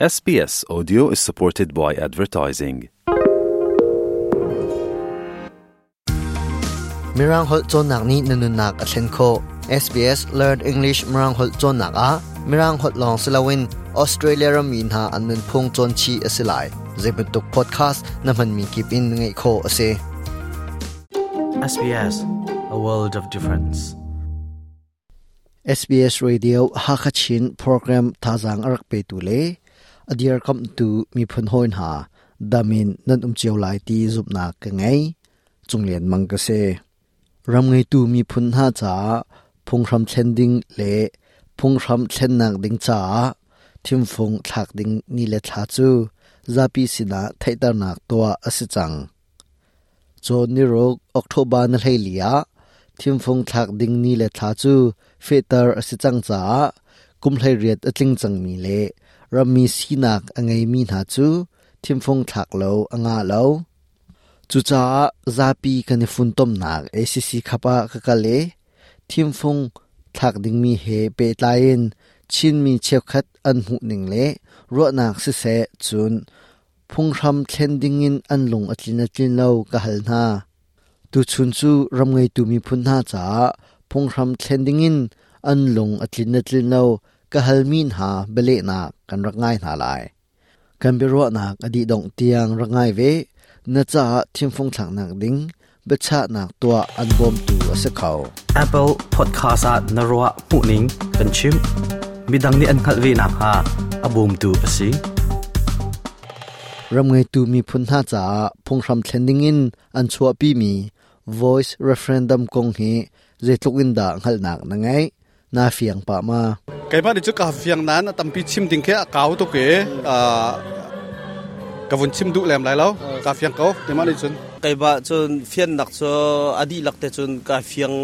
SBS Audio is supported by advertising. Mirang holh cawnnak nih na nunnak a thlen khawh. SBS Learn English Mirang holh cawnnak ah Mirang holh lawng si loin Australia rammi hna an nunphung cawn chih a si lai. Zeibantuk podcast na hmanmi kip in ngaih khawh a si. SBS, a world of difference. SBS Radio Hakha Chin program thazaang a rak petu le a dirkamhtu miphun hawi hna dam in nan um cio lai ti zumhnak ka ngei. Cunglian Mang ka si. Ram ngeitu miphun hna caah phunghram thlen ding le phunghram thlennak ding caah thimfung thlak ding ni le thla cu zapi sinah theihternak tuah a si cang. Cawn niruk October ni 14 ah thimfung thlak ding ni le thla cu fehter a si cang caah kum 18 a tling cangmi le rammi sinak a ngeimi hna cu thimfung thlak lo a ngah lo. Cucaah zapi kan i funtomnak ACC khap ah ka kal i thimfung thlak dingmi he pehtlai in Chinmi cheukhat an hmuhning le ruahnak siseh cun Phunghram thlen dingin an lung a tlin a tlin lo ka hal hna. Tuchun cu ram ngeitu miphun hna caah phunghram thlen dingin an lung a tlin a tlin lo ka halmi hna bialehnak kan rak ngai hna lai. Kan biaruahnak a dih dongh tiang rak ngai ve. Na caah thimfung thlaknak ding biachahnak tuah an bawmtu a si kho. Apple Podcast ah na ruah hmuhning kan chimh. Midang nih an hngalh ve nakhnga a bawmtu a si. Ram ngeitu miphun hna caah phunghram thlen dingin an chuahpimi Voice Referendum kong hi zeitluk in dah hngalhnak na ngeih? Na fiang pah ma? Keimah nih cu ka fiang nain a tampi chim ding khi a kau tuk i ka vun chim duh lem lai lo. Ka fiang ko keimah nih cun. Keimah cun fiannak cu a dihlak te cun ka fiang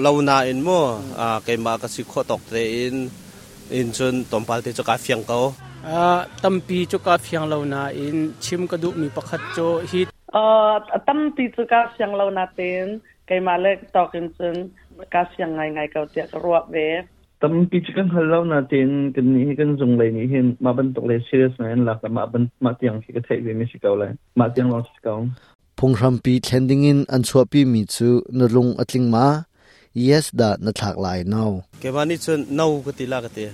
lo nain mu keimah ka si khawh tawk tein in cun tlawmpal te cu ka fiang ko. Tampi cu ka fiang lo nain chim ka duhmi pakhat cu hi Tampi cu ka fiang lo natein keimah le tawk in cun ka siang ngaingai ko tiah ka ruah ve. Tampi cu kan hngal lo natein kan nih hi kan zung lei nih hin mah bantuk le serious ngai an lak mah ban mah tiang khi ka theih ve mi si ko lai. Mah tiang lawng si ko. Phunghrampi thlen dingin an chuahpi mi cu na lung a tling ma? Yes dah na thlak lai no? Keimah nih cun no ka ti la ka ti.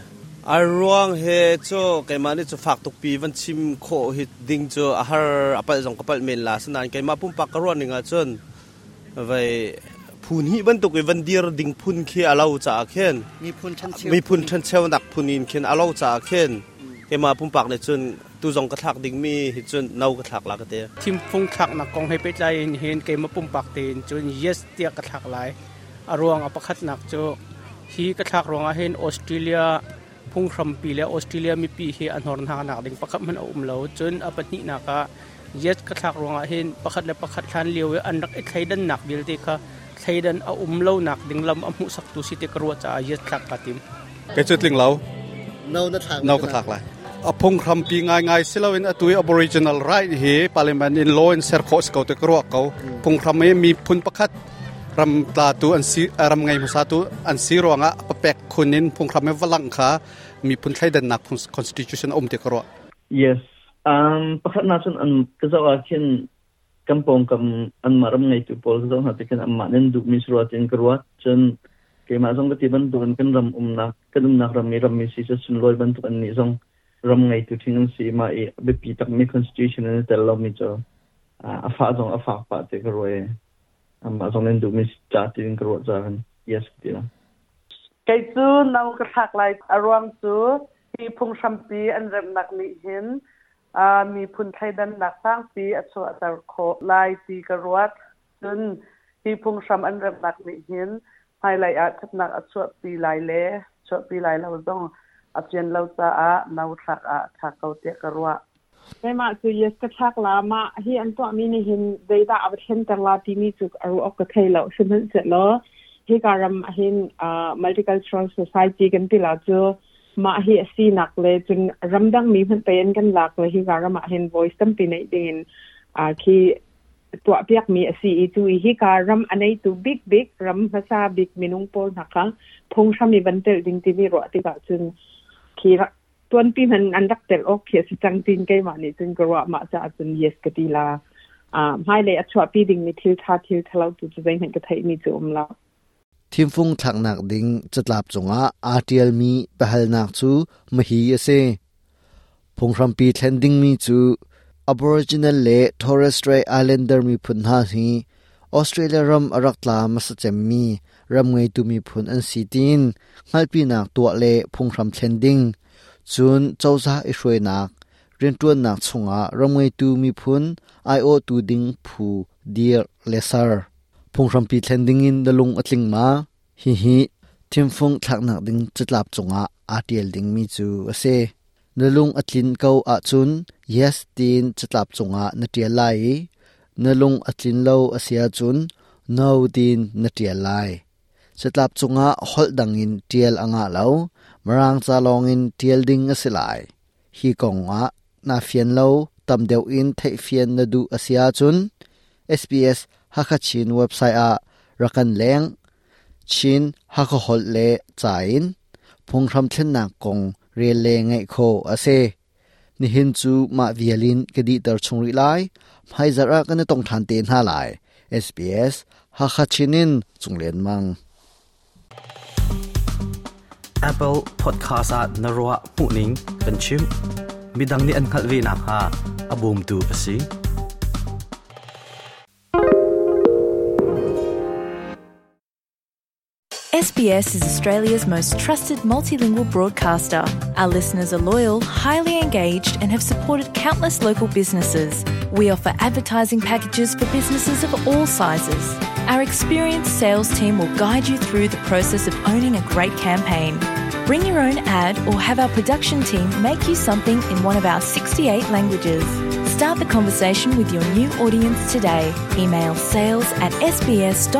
A ruang he cu keimah nih cu fak tuk pi van chim khawh hi ding cu a har a palh zong ka palh men la sinain keimah pumpak ka ruah ning ah cun Vei phun hi bantuk i van dir ding phun khi a lo caah khin miphun ṭhencheunak phun in khin a lo caah khin keimah pumpak nih cun tu zong ka thlak ding mi hi cun no ka thlak la ka ti. Thimfung thlaknak kong he pehtlai in hin keimah pumpak tein cun yes tiah ka thlak lai. A ruang a pakhatnak cu hi ka thlak ruangah hin Australia phunghrampi le Australia mipi hi a hnor hna nak ding pakhat hmanh a um lo. Cun a pahnihnak ah Yes ka thlak ruangah hin pakhat le pakhat hlan lio i an rak i thleidannak vialte kha thleidan a um lonak ding lam a hmuhsaktu si ti ka ruah caah yes thlak kaa tim. Kei cu tling lo. No na thlak. No ka thlak lai. A phunghrampi ngaingai si loin atu i Aboriginal right hi parliament in law in ser khawh si ko ti ka ruah ko. Phunghram i miphun pakhat ram tlatu an si ram ngei hmasa tu an si ruangah papek khun in phunghram i valang kha miphun thleidannak constitution a um ti ka ruah. Yes. Pakhatnak cun an ka zoh ah khin kan pawngkam anmah ram ngeitu pawl ka zoh hna tikhin anmah nih an duhmi si rua tiin ka ruat. Cun keimah zong ka ti bantukin kan ram umnak kan umnak ram i rammi si cu sunlawi bantuk annih zong ram ngeitu ṭhing an si i mah i a biapi takmi constitution an i tel lomi cu a fah zong a fak pah ti ka ruah i anmah zong nih an duhmi si ca tiin ka ruah caah yes ka ti la. Kei cu no ka thlak lai. A ruang cu Hi phunghrampi an remhnak nih hin miphun thleidannak sangpi a chuahter khawh lai ti ka ruat. Cun hi phunghram an remhnak nih hin hmailei ah ṭhatnak a chuahpi lai le chuahpi lai lo zong a fian lo caah no thlak ah a ṭha ko tiah ka ruah. Keimah cu yes ka thlak la mah hi an tuahmi nih hin zeidah a va thlenter la timi cu a ruah awk ka thei lo. Sihmanhsehlaw hika ram ahhin multicultural society kan ti la cu mah hi a sinak le cun ramdang mi hmanh pei an kan lak le hika ram ah hin voice tampi neih dingin khi tuahpiakmi a si i cu i hika ram a neitu bikbik ram hmasa bik minung pawl hna kha phunghram i van telh ding timi ruah tikah cun khi Tuanpi hman an rak tel awk khi a si cang tin keimah nih cun ka ruah. Mah caah cun yes ka ti la. Hmailei a chuahpi dingmi thil ṭha thil ṭhalo tu cu zeihmanh ka theihmi cu um lo. Thimfung thlaknak ding catlap cungah aa ṭialmi biahalnak cu mahi a si. Phunghrampi thlen dingmi cu Aboriginal le Torres Strait Islander miphun hna hi Australia ram a rak tla hmasa cemmi ram ngeitu miphun an si tiin hngalhpinak tuah le phunghram thlen ding, cun cozah i hruainak, rianṭuannak chungah ram ngeitu miphun aiawhtu ding phu dirh le ser. Phunghrampi thlen dingin na lung a tling ma? Hihi thimfung thlaknak ding catlap cungah aa ṭial dingmi cu a si. Na lung a tlin ko ahcun yes tiin catlap cungah na ṭial lai i na lung a tlin lo a si ahcun no tiin na ṭial lai. Catlap cungah holh dangin ṭial a ngah lo, Mirang ca lawngin ṭial ding a si lai. Hi kongah naa fian lo, tam deuh in theihfian na duh a si ahcun SBS Hakha Chin website ah rak kan leng. Chin Hakha holh le ca in phunghram thlennak kong rel le ngaih khawh a si. Nihin cu mah vial in ka dihter chung rih lai. Hmaizarh ah kan i tong ṭhan te hna lai. SBS Hakha Chin in Cunglen Mang. Apple Podcast ah na ruah hmuhning kan chimh. Midang nih an hngalh ve nakhnga a bawmtu a si. SBS is Australia's most trusted multilingual broadcaster. Our listeners are loyal, highly engaged, and have supported countless local businesses. We offer advertising packages for businesses of all sizes. Our experienced sales team will guide you through the process of owning a great campaign. Bring your own ad or have our production team make you something in one of our 68 languages. Start the conversation with your new audience today. Email sales at sbs.com.au.